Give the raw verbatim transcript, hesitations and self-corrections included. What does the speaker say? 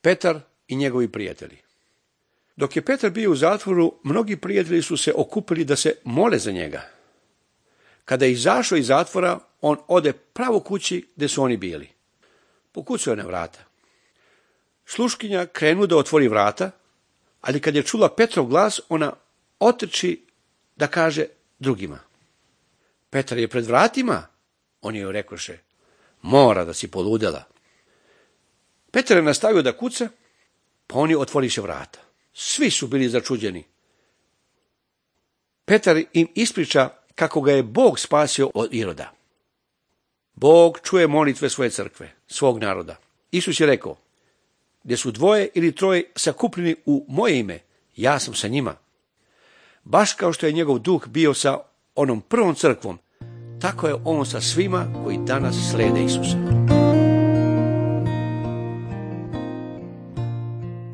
Petar i njegovi prijatelji. Dok je Petar bio u zatvoru, mnogi prijatelji su se okupili da se mole za njega. Kada je izašao iz zatvora, on ode pravo kući gdje su oni bili. Pokucao je na vrata. Sluškinja krenu da otvori vrata, ali kad je čula Petrov glas, ona otrči da kaže drugima: Petar je pred vratima. Oni joj rekoše: mora da si poludela. Petar je nastavio da kuca, pa oni otvoriše vrata. Svi su bili začuđeni. Petar im ispriča kako ga je Bog spasio od Iroda. Bog čuje molitve svoje crkve, svog naroda. Isus je rekao: gdje su dvoje ili troje sakupljeni u moje ime, ja sam sa njima. Baš kao što je njegov duh bio sa onom prvom crkvom, tako je on sa svima koji danas slede Isusa.